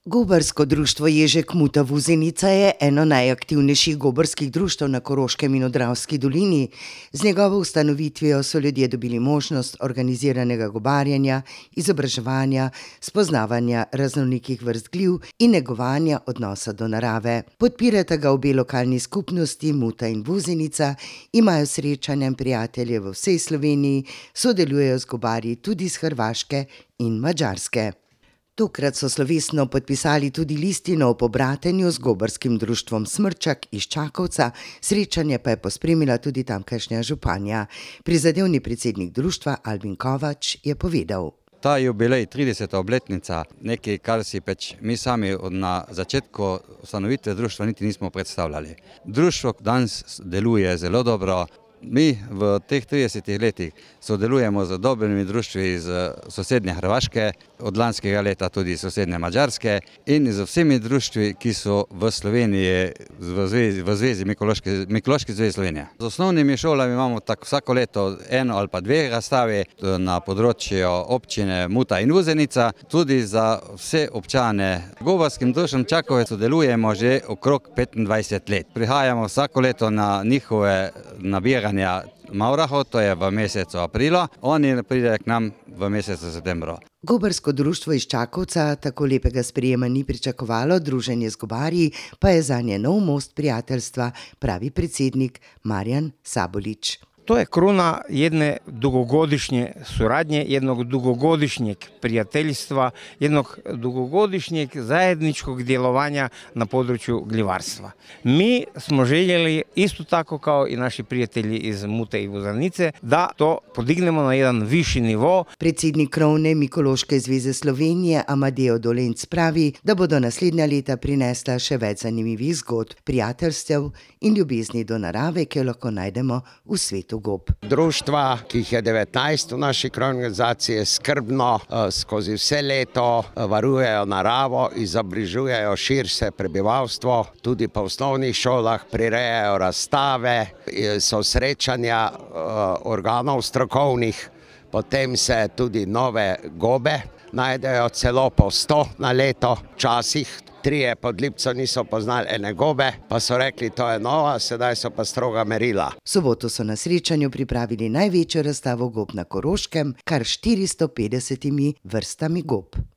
Gobarsko društvo Ježek Muta-Vuzenica je eno najaktivnejših gobarskih društev na Koroškem in v Dravski dolini. Z njegovo ustanovitvijo so ljudje dobili možnost organiziranega gobarjenja, izobraževanja, spoznavanja raznolikih vrst gliv in negovanja odnosa do narave. Podpirata ga obe lokalni skupnosti Muta in Vuzenica, imajo srečanja in prijatelje v vsej Sloveniji, sodelujejo z gobarji tudi iz Hrvaške in Madžarske. Tokrat so slovesno podpisali tudi listino o pobratenju z gobarskim društvom Smrčak iz Čakovca, srečanje pa je pospremila tudi tamkajšnja županja. Prizadevni predsednik društva Albin Kovač je povedal. Ta jubilej, 30. obletnica, nekaj, kar si mi sami na začetku ustanovitve društva niti nismo predstavljali. Društvo danes deluje zelo dobro. Mi v teh 30 letih sodelujemo z dobrimi društvi iz sosednje Hrvaške, od lanskega leta tudi iz sosednje Madžarske in z vsemi društvi, ki so v Sloveniji v zvezi Mikološki zvezi Slovenije. Z osnovnimi šolami imamo vsako leto eno ali pa dve razstavi na področju občine Muta in Vuzenica, tudi za vse občane. Gobarskim društvom Čakovec sodelujemo že okrog 25 let. Prihajamo vsako leto na njihove nabiranje Maurahov, to je v mesecu aprilu, oni pridejo k nam v mesecu septembru. Gobarsko društvo iz Čakovca tako lepega sprejema ni pričakovalo, druženje z gobarji pa je zanje nov most prijateljstva, pravi predsednik Marjan Sabolič. To je kruna jedne dugogodišnje suradnje, jednog dugogodišnjeg prijateljstva, jednog dugogodišnjeg zajedničkog djelovanja na području gljivarstva. Mi smo željeli, isto tako kao i naši prijatelji iz Mute i Vuzenice, da to podignemo na jedan viši nivo. Predsednik krovne Mikološke zveze Slovenije Amadeo Dolenc pravi, da bodo naslednja leta prinesla še več zanimivih zgodb, prijateljstev in ljubezni do narave, ki jo lahko najdemo v svetu gob. Društva, ki jih je 19 v naši krovni organizaciji, skrbno skozi vse leto varujejo naravo, izobražujejo širše prebivalstvo, tudi po osnovnih šolah prirejajo razstave, so srečanja organov strokovnih, potem se tudi nove gobe najdejo, celo po 100 na leto, včasih. Trije pod Lipco niso poznali ene gobe, pa so rekli, to je nova, sedaj so pa stroga merila. V soboto so na srečanju pripravili največjo razstavo gob na Koroškem, kar 450 vrstami gob.